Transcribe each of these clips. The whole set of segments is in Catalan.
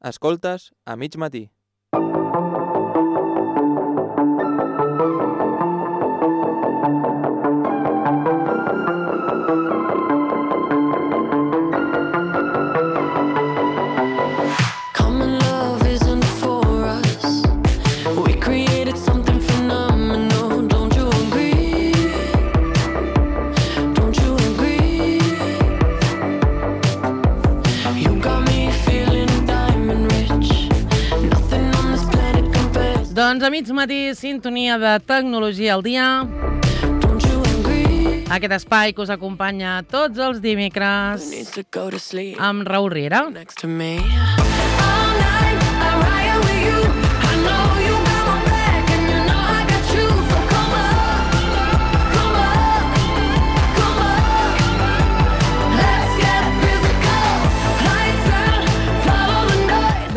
Escoltes a mig matí. Doncs a mig matí, sintonia de Tecnologia al dia. Aquest espai que us acompanya tots els dimecres amb Raül Riera.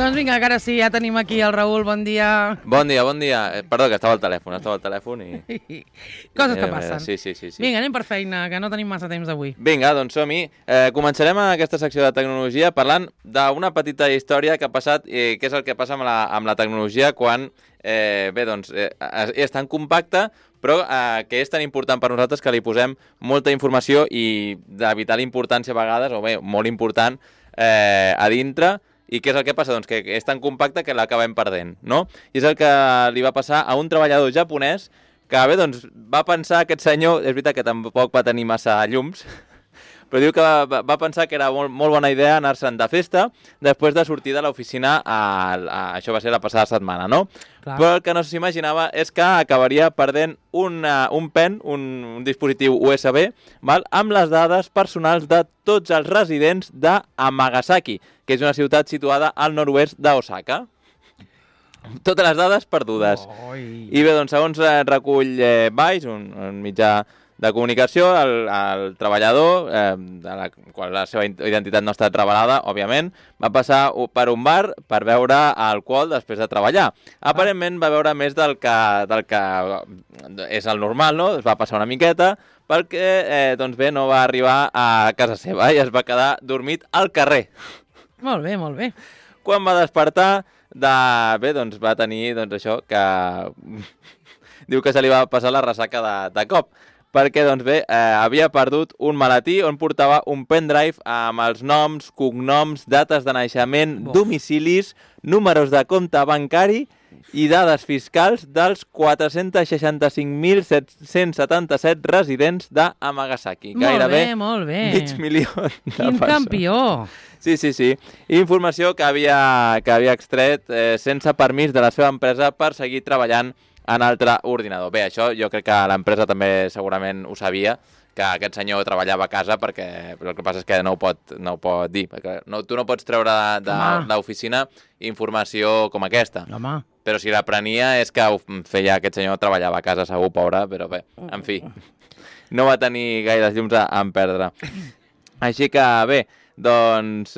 Doncs vinga, que ara sí, ja tenim aquí el Raül, bon dia. Bon dia, bon dia. Perdó, que estava al telèfon i... Coses que passen. Sí. Vinga, anem per feina, que no tenim massa temps avui. Vinga, doncs som-hi. Començarem aquesta secció de tecnologia parlant d'una petita història que ha passat, què és el que passa amb la tecnologia quan, és tan compacta, però que és tan important per nosaltres que li posem molta informació i de vital importància a vegades, o bé, molt important, a dintre. I què és el que passa? Doncs que és tan compacte que l'acabem perdent, no? I és el que li va passar a un treballador japonès que, bé, doncs, va pensar aquest senyor, és veritat que tampoc va tenir massa llums, però diu que va pensar que era molt bona idea anar-se'n de festa després de sortir de l'oficina, això va ser la passada setmana, no? Clar. Però el que no s'imaginava és que acabaria perdent un pen, un dispositiu USB, val? Amb les dades personals de tots els residents d'Amagasaki, que és una ciutat situada al nord-oest d'Osaka. Totes les dades perdudes. I bé, doncs, segons recull Vice, un mitjà de comunicació, el treballador, de la qual la seva identitat no ha estat revelada, òbviament, va passar per un bar per beure alcohol després de treballar. Aparentment va beure més del que és el normal, no? Es va passar una miqueta perquè, doncs bé, no va arribar a casa seva i es va quedar dormit al carrer. Molt bé, molt bé. Quan va despertar, doncs va tenir, això, que diu que se li va passar la ressaca de cop. Perquè, doncs bé, havia perdut un maletí on portava un pendrive amb els noms, cognoms, dates de naixement, domicilis, números de compte bancari i dades fiscals dels 465.777 residents d'Amagasaki. Gairebé molt bé. mig milió de persones. Quin campió! Sí. Informació que havia extret sense permís de la seva empresa per seguir treballant en altre ordinador. Bé, això jo crec que l'empresa també segurament ho sabia, que aquest senyor treballava a casa, perquè el que passa és que no ho pot dir. Perquè tu no pots treure de l'oficina informació com aquesta. Home. Però si la prenia és que feia aquest senyor, treballava a casa segur, pobre, però bé, en fi, no va tenir gaires llums a perdre. Així que bé, doncs...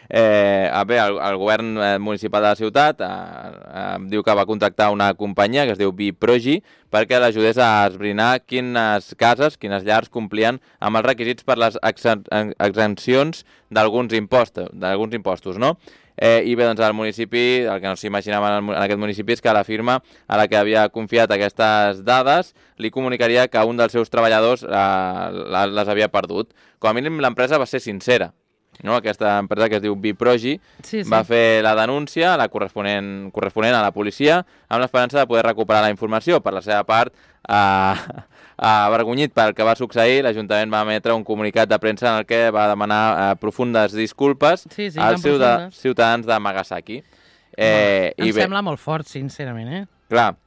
el govern municipal de la ciutat diu que va contractar una companyia que es diu Biprogi perquè l'ajudés a esbrinar quines cases, quines llars complien amb els requisits per les exempcions d'alguns impostos, no? I bé, doncs el municipi, el que no s'imaginava en aquest municipi és que la firma a la que havia confiat aquestes dades li comunicaria que un dels seus treballadors les havia perdut. Com a mínim l'empresa va ser sincera. No? Aquesta empresa que es diu Biprogi va fer la denúncia, la corresponent a la policia, amb l'esperança de poder recuperar la informació. Per la seva part, avergonyit pel que va succeir, l'Ajuntament va emetre un comunicat de premsa en el que va demanar profundes disculpes als ciutadans de Amagasaki. Em sembla molt fort, sincerament. Clar,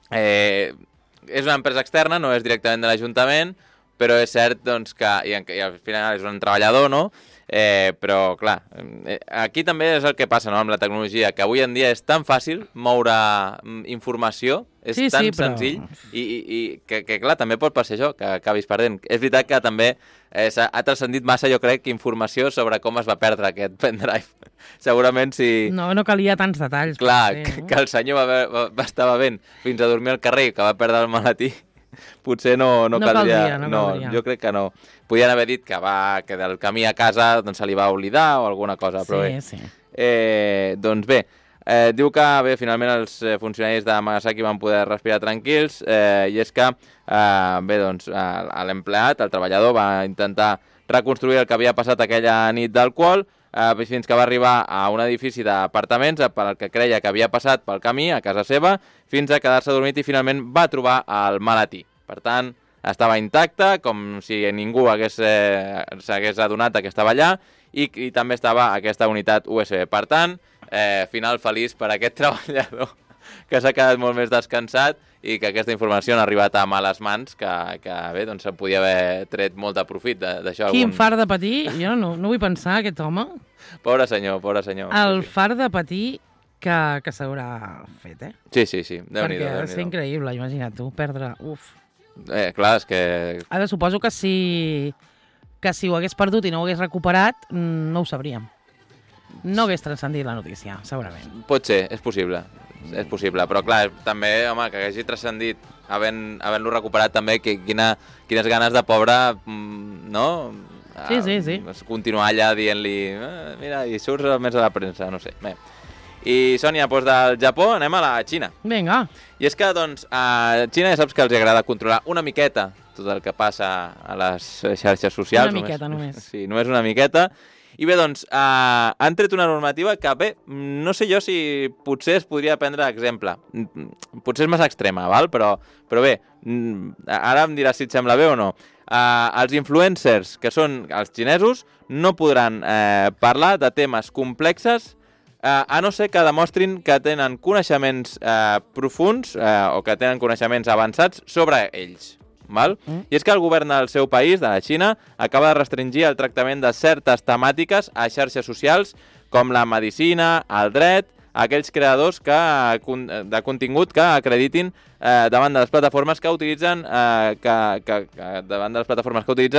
és una empresa externa, no és directament de l'Ajuntament, però és cert doncs, que i al final és un treballador, no? Però clar, aquí també és el que passa, no?, amb la tecnologia, que avui en dia és tan fàcil moure informació, és tan senzill i que clar, també pot passar això, que acabis perdent. És veritat que també ha transcendit massa, jo crec, informació sobre com es va perdre aquest pendrive. Segurament si... No calia tants detalls. Clar, que el senyor va estar bevent fins a dormir al carrer, que va perdre el maletí. potser no caldria. No caldria. Jo crec que no. Podien haver dit que del camí a casa doncs, se li va oblidar o alguna cosa, però bé. Sí. Doncs bé, diu que finalment els funcionaris de Nagasaki van poder respirar tranquils i és que l'empleat, el treballador, va intentar reconstruir el que havia passat aquella nit d'alcohol fins que va arribar a un edifici d'apartaments pel que creia que havia passat pel camí a casa seva fins a quedar-se dormit i finalment va trobar el maletí. Per tant, estava intacte, com si ningú s'hagués adonat que estava allà i també estava aquesta unitat USB. Per tant, final feliç per aquest treballador que s'ha quedat molt més descansat i que aquesta informació ha arribat a males mans, que bé, doncs se'n podia haver tret molt de profit d'això. Quin far de patir, jo no vull pensar, aquest home. Pobre senyor. El far de patir que s'haurà fet, eh? Sí. Déu-n'hi-do. Perquè ha de ser increïble, imagina't tu, perdre... Uf. Clar, és que... Ara suposo que si ho hagués perdut i no ho hagués recuperat, no ho sabríem. No hagués transcendit la notícia, segurament. Pot ser, és possible, però clar, també, home, que hagi transcendit havent-lo recuperat també, quines ganes de pobre, no? Sí. Continuar allà dient-li, mira, i surts més a la premsa, no sé. Bé. I, Sònia, doncs del Japó anem a la Xina. Vinga. I és que, doncs, a Xina ja saps que els agrada controlar una miqueta tot el que passa a les xarxes socials. Una miqueta, només. Sí, només una miqueta. I bé, doncs, han tret una normativa que, bé, no sé jo si potser es podria prendre exemple. Potser és massa extrema, val? Però bé, ara em diràs si et sembla bé o no. Els influencers, que són els xinesos, no podran parlar de temes complexes a no ser que demostrin que tenen coneixements profuns o que tenen coneixements avançats sobre ells. Val? I és que el govern del seu país, de la Xina, acaba de restringir el tractament de certes temàtiques a xarxes socials com la medicina, el dret, aquells creadors de contingut que acreditin davant de les plataformes que utilitzen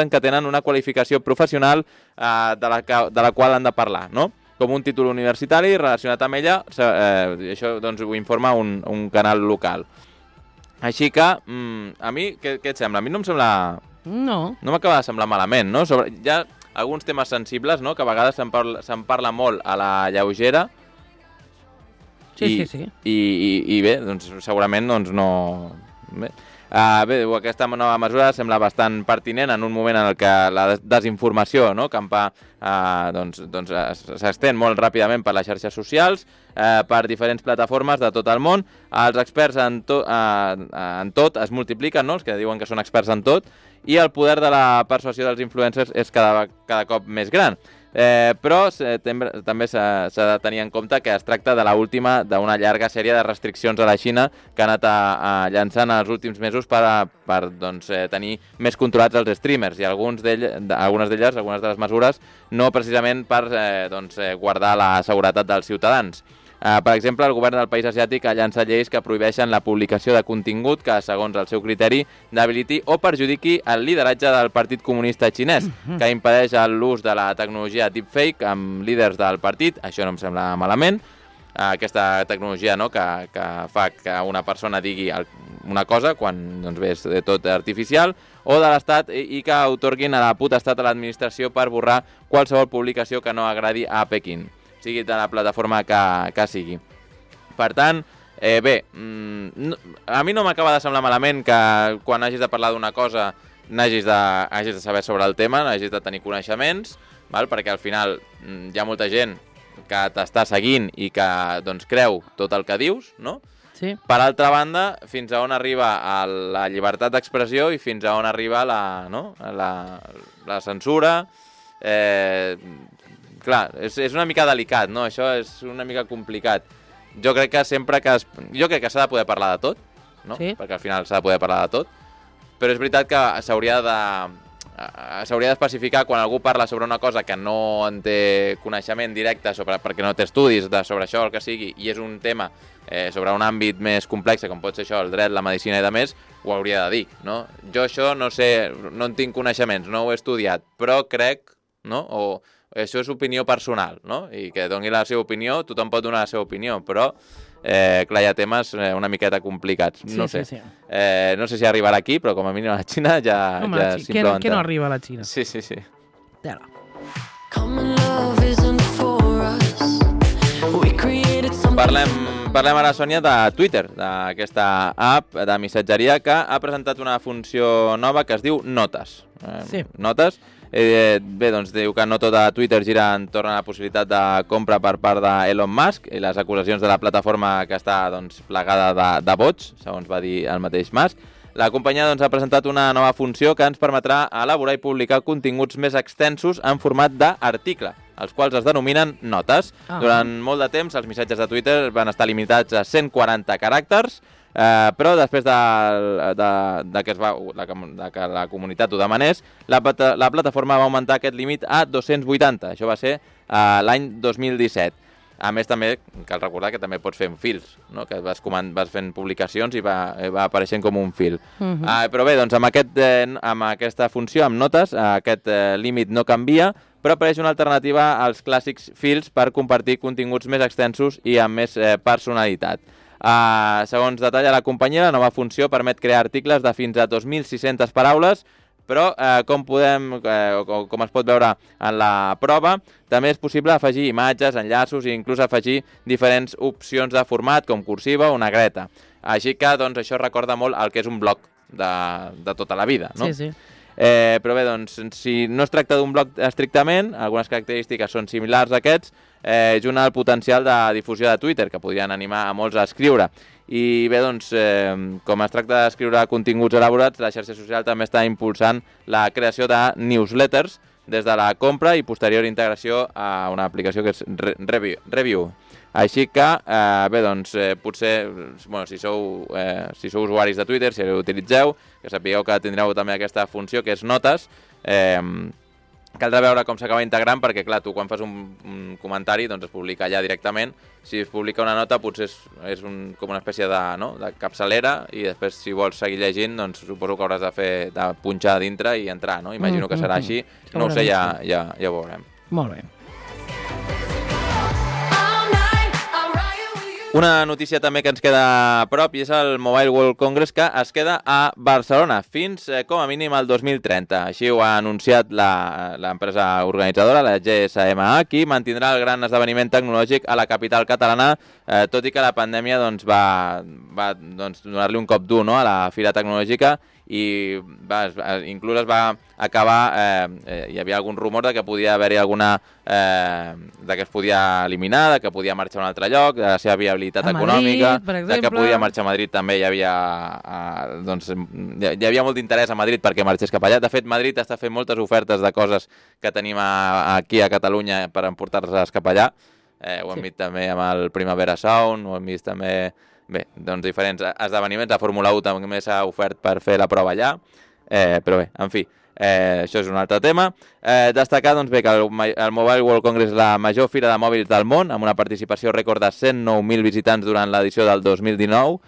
que tenen una qualificació professional de la qual han de parlar, no? Com un títol universitari relacionat amb ella, això doncs, ho informa un canal local. Així que, a mi, què et sembla? A mi no em sembla... No m'acaba de semblar malament, no? Hi ha alguns temes sensibles, no?, que a vegades se'n parla molt a la lleugera. Sí. I bé, doncs segurament doncs no... Bé, aquesta nova mesura sembla bastant pertinent en un moment en el que la desinformació, no?, campa, s'estén molt ràpidament per les xarxes socials, per diferents plataformes de tot el món. Els experts en tot es multipliquen, no?, els que diuen que són experts en tot, i el poder de la persuasió dels influencers és cada cop més gran. Però també s'ha de tenir en compte que es tracta de l'última d'una llarga sèrie de restriccions a la Xina que ha anat llançant els últims mesos per tenir més controlats els streamers, i algunes de les mesures, no precisament per guardar la seguretat dels ciutadans. Per exemple, el govern del país asiàtic ha llançat lleis que prohibeixen la publicació de contingut que, segons el seu criteri, debiliti o perjudiqui el lideratge del Partit Comunista Xinès, que impedeix l'ús de la tecnologia deepfake amb líders del partit. Això no em sembla malament. Aquesta tecnologia, no?, que fa que una persona digui una cosa quan és tot artificial, o de l'Estat, i que atorguin a la potestat a l'administració per borrar qualsevol publicació que no agradi a Pequín, sigui de la plataforma que sigui. Per tant, bé, a mi no m'acaba de semblar malament que quan hagis de parlar d'una cosa hagis de saber sobre el tema, hagis de tenir coneixements, perquè al final hi ha molta gent que t'està seguint i que creu tot el que dius, no? Sí. Per altra banda, fins a on arriba la llibertat d'expressió i fins a on arriba la censura. Clar, és una mica delicat, no? Això és una mica complicat. Jo crec que s'ha de poder parlar de tot, no? Sí. Perquè al final s'ha de poder parlar de tot, però és veritat que s'hauria d'especificar quan algú parla sobre una cosa que no en té coneixement directe perquè no té estudis sobre això o el que sigui, i és un tema sobre un àmbit més complex, com pot ser això, el dret, la medicina i de més, ho hauria de dir, no? Jo això no sé, no en tinc coneixements, no ho he estudiat, però crec, no?, o això és opinió personal, no?, i que doni la seva opinió, tothom pot donar la seva opinió, però clar, hi ha temes una miqueta complicats. No sé. No sé si arribarà aquí, però com a mínim a la Xina ja s'implementa. Què no arriba a la Xina? Sí. Tela. Parlem ara, Sònia, de Twitter, d'aquesta app de missatgeria que ha presentat una funció nova que es diu Notes. Notes. Bé, doncs diu que no tot a Twitter gira entorn a la possibilitat de compra per part d'Elon Musk i les acusacions de la plataforma que està plagada de bots, segons va dir el mateix Musk. La companyia ha presentat una nova funció que ens permetrà elaborar i publicar continguts més extensos en format d'article, els quals es denominen notes. Durant molt de temps, els missatges de Twitter van estar limitats a 140 caràcters, però després que la comunitat ho demanés, la plataforma va augmentar aquest límit a 280. Això va ser l'any 2017. A més, també cal recordar que també pots fer fils, no? Que vas fent publicacions i va apareixent com un fil. Però bé, doncs amb aquesta funció, amb notes, aquest límit no canvia, però apareix una alternativa als clàssics fils per compartir continguts més extensos i amb més personalitat. Segons detalla la companyia, la nova funció permet crear articles de fins a 2.600 paraules, però com es pot veure en la prova, també és possible afegir imatges, enllaços i inclús afegir diferents opcions de format, com cursiva o negreta. Així que això recorda molt el que és un blog de tota la vida, no? Sí. Però bé, doncs, si no es tracta d'un blog estrictament, algunes característiques són similars a aquests, junt al potencial de difusió de Twitter, que podrien animar a molts a escriure. I bé, doncs, com es tracta d'escriure continguts elaborats, la xarxa social també està impulsant la creació de newsletters des de la compra i posterior integració a una aplicació que és Review. Així que, bé, doncs, potser, si sou usuaris de Twitter, si l'utilitzeu, que sapigueu que tindreu també aquesta funció, que és notes. Caldrà veure com s'acaba integrant, perquè, clar, tu quan fas un comentari doncs es publica allà directament. Si es publica una nota, potser és com una espècie de capçalera, i després, si vols seguir llegint, doncs suposo que hauràs de punxar a dintre i entrar, no? Imagino que serà així. No ho sé, ja ho veurem. Molt bé. Una notícia també que ens queda a prop i és el Mobile World Congress, que es queda a Barcelona fins com a mínim al 2030. Així ho ha anunciat l'empresa organitzadora, la GSMA, qui mantindrà el gran esdeveniment tecnològic a la capital catalana, tot i que la pandèmia va donar-li un cop dur, no?, a la fira tecnològica, i inclús es va acabar, hi havia algun rumor de que podia haver-hi alguna de que es podia eliminar, de que podia marxar a un altre lloc, de la seva viabilitat econòmica, de que podia marxar a Madrid també. Hi havia molt d'interès a Madrid perquè marxés cap allà. De fet, Madrid està fent moltes ofertes de coses que tenim aquí a Catalunya per emportar-les cap allà. Ho hem vist també amb el Primavera Sound, ho hem vist també... Bé, doncs diferents esdeveniments. La Fórmula 1 també s'ha ofert per fer la prova allà, però bé, en fi, això és un altre tema. Destacar doncs, bé, que el Mobile World Congress és la major fira de mòbils del món, amb una participació rècord de 109.000 visitants durant l'edició del 2019,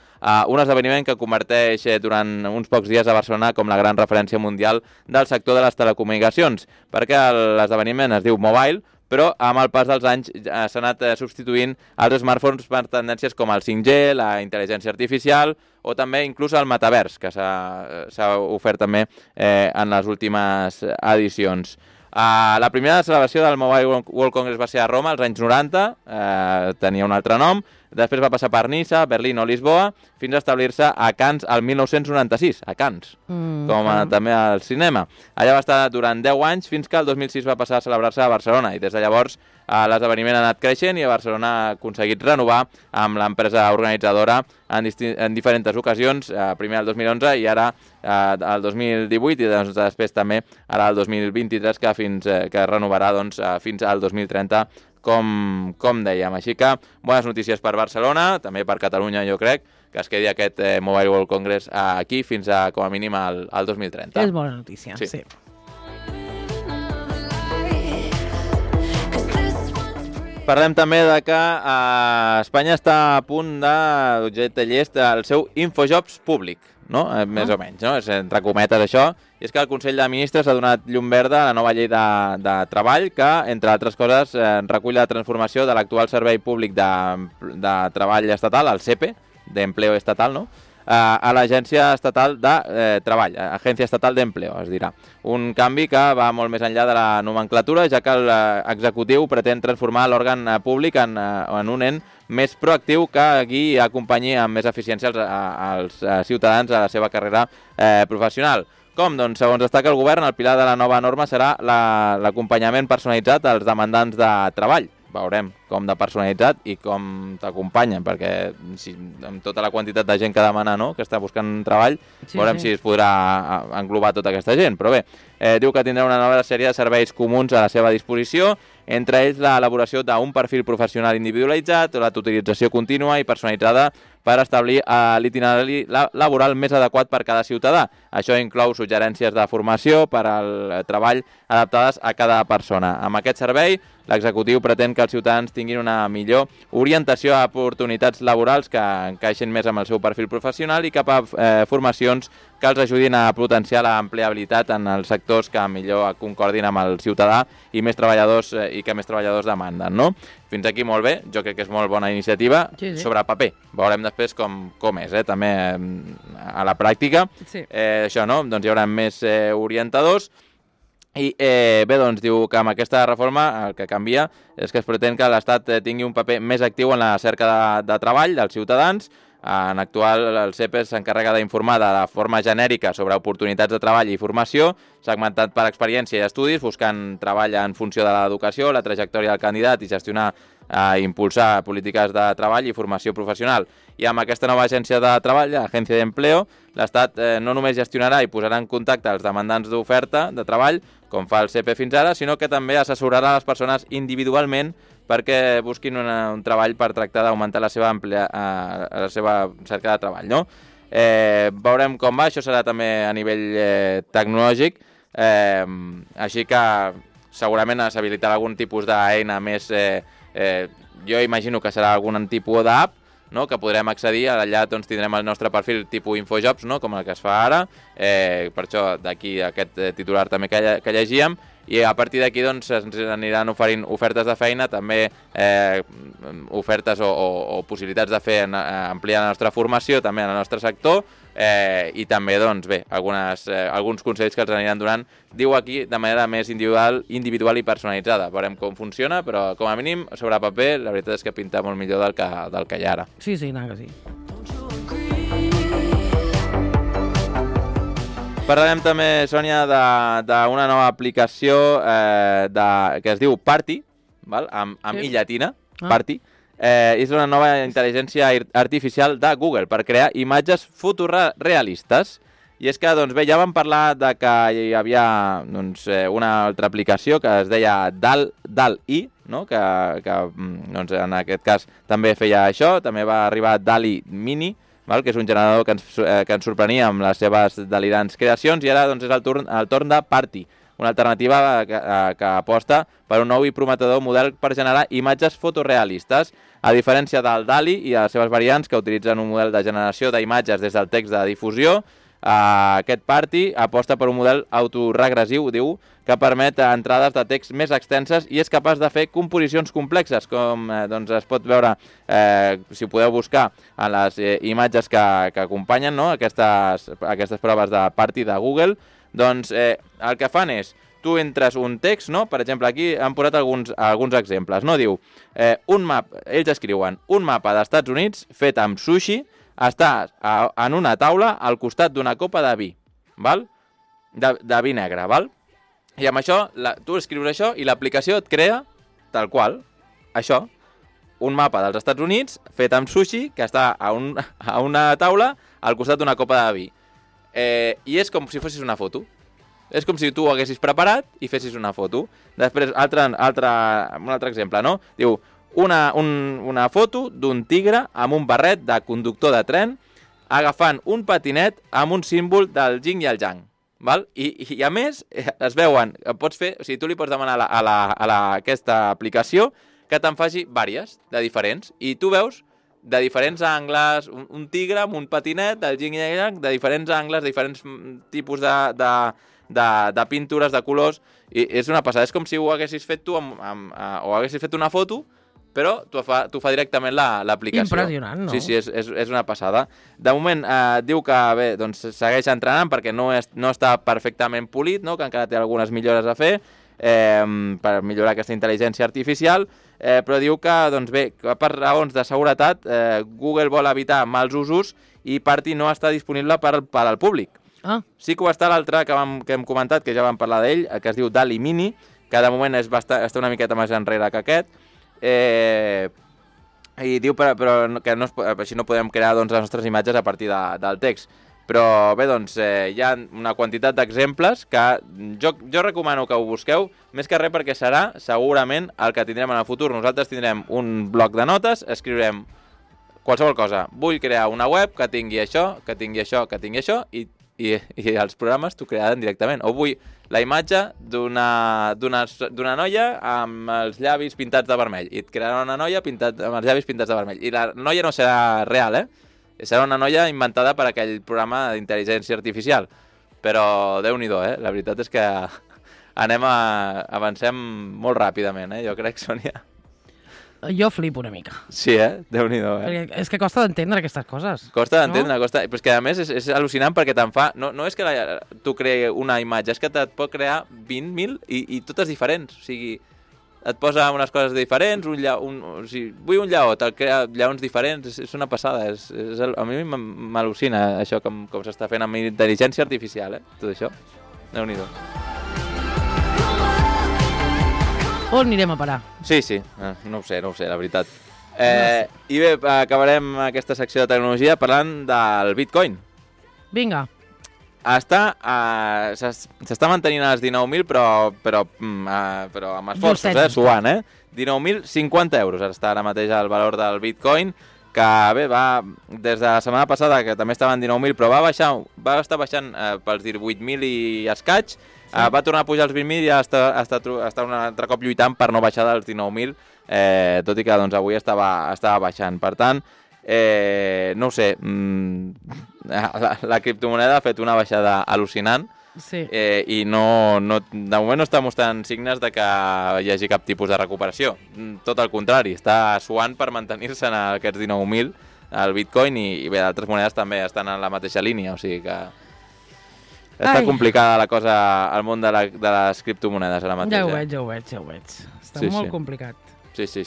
un esdeveniment que converteix durant uns pocs dies a Barcelona com la gran referència mundial del sector de les telecomunicacions, perquè l'esdeveniment es diu Mobile, però amb el pas dels anys s'ha anat substituint els smartphones per tendències com el 5G, la intel·ligència artificial o també inclús el metavers, que s'ha ofert també en les últimes edicions. La primera celebració del Mobile World Congress va ser a Roma als anys 90, tenia un altre nom. Després va passar per Niça, Berlín o Lisboa, fins a establir-se a Cannes el 1996, a Cannes, també al cinema. Allà va estar durant 10 anys, fins que el 2006 va passar a celebrar-se a Barcelona, i des de llavors l'esdeveniment ha anat creixent i a Barcelona ha aconseguit renovar amb l'empresa organitzadora en diferents ocasions, primer el 2011 i ara el 2018, i després també ara el 2023, que renovarà fins al 2030, com dèiem. Així que bones notícies per Barcelona, també per Catalunya, jo crec, que es quedi aquest Mobile World Congress aquí fins a, com a mínim, al 2030. És bona notícia, sí. Parlem també de que Espanya està a punt d'objecte llest el seu Infojobs públic. no? Més o menys, no? És entre cometes això. I és que el Consell de Ministres ha donat llum verda a la nova llei de treball que, entre altres coses, recull la transformació de l'actual Servei Públic de Treball Estatal, el SEPE, d'Empleo Estatal, no? A l'Agència Estatal de Treball, Agència Estatal d'Empleo, es dirà. Un canvi que va molt més enllà de la nomenclatura, ja que l'executiu pretén transformar l'òrgan públic en un ent més proactiu que guiï i acompanyi amb més eficiència als ciutadans a la seva carrera professional. Com? Doncs, segons destaca el govern, el pilar de la nova norma serà l'acompanyament personalitzat als demandants de treball. Veurem com de personalitzat i com t'acompanyen, perquè amb tota la quantitat de gent que demana, no?, que està buscant treball, veurem si es podrà englobar tota aquesta gent. Però bé, diu que tindrà una nova sèrie de serveis comuns a la seva disposició, entre ells l'elaboració d'un perfil professional individualitzat, la tutorització contínua i personalitzada per establir l'itinerari laboral més adequat per cada ciutadà. Això inclou suggerències de formació per al treball adaptades a cada persona. Amb aquest servei, l'executiu pretén que els ciutadans tinguin una millor orientació a oportunitats laborals que encaixin més amb el seu perfil professional i cap a formacions que els ajudin a potenciar l'empleabilitat en els sectors que millor concordin amb el ciutadà i més treballadors que més treballadors demanden, no? Fins aquí molt bé, jo crec que és molt bona iniciativa, sobre paper. Veurem després com és, també a la pràctica. Això, no? Doncs hi haurà més orientadors. I bé, doncs diu que amb aquesta reforma el que canvia és que es pretén que l'Estat tingui un paper més actiu en la cerca de treball dels ciutadans. En actual, el CEPES s'encarrega d'informar de la forma genèrica sobre oportunitats de treball i formació, segmentat per experiència i estudis, buscant treball en funció de l'educació, la trajectòria del candidat i gestionar i impulsar polítiques de treball i formació professional. I amb aquesta nova agència de treball, l'Agència d'Empleo, l'Estat no només gestionarà i posarà en contacte els demandants d'oferta de treball, com fa el CEPE fins ara, sinó que també assessorarà les persones individualment perquè busquin un treball per tractar d'augmentar la seva cerca de treball, no? Veurem com va, això serà també a nivell tecnològic, així que segurament s'habilitarà algun tipus d'eina més, jo imagino que serà algun tipus d'app, no?, que podrem accedir, allà doncs, tindrem el nostre perfil tipus Infojobs, no?, com el que es fa ara, per això d'aquí aquest titular també que llegíem, i a partir d'aquí doncs, ens aniran oferint ofertes de feina, també ofertes o possibilitats de fer ampliar la nostra formació també en el nostre sector, i també doncs, bé, alguns consells que els aniran donant, diu aquí, de manera més individual i personalitzada. Veurem com funciona, però com a mínim, sobre paper, la veritat és que pinta molt millor del que hi ha ara. Sí, que sí. Parlarem també, Sònia, d'una nova aplicació que es diu Party, amb i llatina, Party. És una nova intel·ligència artificial de Google per crear imatges fotorealistes. I és que, doncs bé, ja vam parlar de que hi havia una altra aplicació que es deia DALL-E, no? que en aquest cas també feia això, també va arribar DALL-E Mini, que és un generador que ens sorprenia amb les seves delirants creacions, i ara doncs, és el torn de Party, una alternativa que aposta per un nou i prometedor model per generar imatges fotorealistes. A diferència del DALL-E i de les seves variants, que utilitzen un model de generació d'imatges des del text de difusió, aquest Party aposta per un model autoregressiu, diu, que permet entrades de text més extenses i és capaç de fer composicions complexes, com doncs, es pot veure, si ho podeu buscar en les imatges que acompanyen, no?, aquestes proves de Party de Google. Doncs el que fan és, tu entres un text, no?, per exemple, aquí han posat alguns exemples, no?, diu, ells escriuen, un mapa d'Estats Units fet amb sushi està en una taula al costat d'una copa de vi, de vi negre, I amb això, tu escrius això i l'aplicació et crea, tal qual, això, un mapa dels Estats Units fet amb sushi que està a una taula al costat d'una copa de vi. I és com si fossis una foto. És com si tu ho haguessis preparat i fessis una foto. Després, un altre exemple, no? Diu, una foto d'un tigre amb un barret de conductor de tren agafant un patinet amb un símbol del yin i el yang. I a més, es veuen, pots fer, o sigui, tu li pots demanar a aquesta aplicació que te'n faci vàries de diferents, i tu veus de diferents angles, un tigre amb un patinet, el yin i el yang, de diferents angles, diferents tipus de pintures, de colors, i és una passada. És com si ho haguessis fet tu o haguessis fet una foto, però t'ho fa directament l'aplicació. Impressionant, no? Sí, és una passada. De moment diu que bé, doncs, segueix entrenant perquè no està perfectament polit, no? Que encara té algunes millores a fer per millorar aquesta intel·ligència artificial, però diu que, doncs bé, que per raons de seguretat Google vol evitar mals usos i Party no està disponible per al públic. Sí que ho està l'altre que hem comentat, que ja vam parlar d'ell, que es diu DALL-E Mini, que de moment està una miqueta més enrere que aquest, i diu però que així no podem crear doncs, les nostres imatges a partir del text. Però bé, doncs hi ha una quantitat d'exemples que jo recomano que ho busqueu, més que res perquè serà segurament el que tindrem en el futur. Nosaltres tindrem un bloc de notes, escriurem qualsevol cosa. Vull crear una web que tingui això, que tingui això, que tingui això, i els programes t'ho crearan directament. O vull la imatge d'una noia amb els llavis pintats de vermell, i et crearà una noia amb els llavis pintats de vermell. I la noia no serà real, serà una noia inventada per aquell programa d'intel·ligència artificial. Però Déu-n'hi-do, la veritat és que avancem molt ràpidament, jo crec, Sònia. Jo flipo una mica. Sí, Déu-n'hi-do, Perquè és que costa d'entendre aquestes coses. Costa d'entendre, costa. Però és que a més és al·lucinant perquè te'n fa... No és que tu creï una imatge, és que et pot crear 20.000 i totes diferents. O sigui, et posa unes coses diferents, o sigui, vull un lleó, te'l crea lleons diferents, és una passada. A mi m'al·lucina això com s'està fent amb intel·ligència artificial, tot això. Déu-n'hi-do. On anirem a parar? Sí, no ho sé, la veritat. I bé, acabarem aquesta secció de tecnologia parlant del Bitcoin. Vinga. S'està mantenint als 19.000, però amb esforços, suant, 19.050 euros està ara mateix el valor del Bitcoin, que bé, va des de la setmana passada, que també estava en 19.000, però va estar baixant pels 18.000 i escaig. Va tornar a pujar als 20.000 i està un altre cop lluitant per no baixar dels 19.000, tot i que doncs, avui estava baixant. Per tant, no ho sé, la criptomoneda ha fet una baixada al·lucinant, i de moment no està mostrant signes de que hi hagi cap tipus de recuperació. Tot el contrari, està suant per mantenir-se en aquests 19.000 el Bitcoin, i bé, d'altres monedes també estan en la mateixa línia, o sigui que... Està complicada la cosa al món de les criptomonedes ara mateix. Ja ho veig. Està molt complicat. Sí.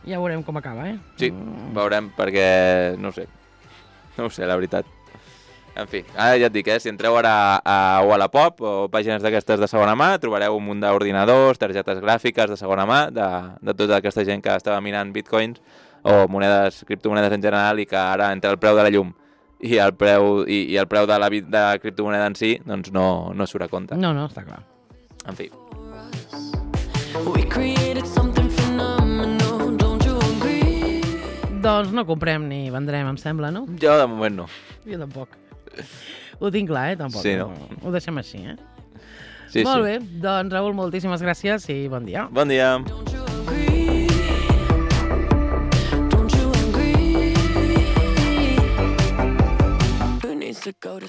Ja veurem com acaba, Sí, veurem, perquè no ho sé, la veritat. En fi, ara ja et dic, si entreu ara a Wallapop o pàgines d'aquestes de segona mà, trobareu un munt d'ordinadors, targetes gràfiques de segona mà, de tota aquesta gent que estava minant bitcoins o criptomonedes en general, i que ara entre el preu de la llum i el preu de la criptomoneda en si, doncs no surt a compte. No, està clar. En fi. Doncs no comprem ni vendrem, em sembla, no? Jo de moment no. Jo tampoc. Ho tinc clar, tampoc. Sí, no? Ho deixem així, Sí, Molt bé, doncs Raül, moltíssimes gràcies i bon dia. Bon dia. To go to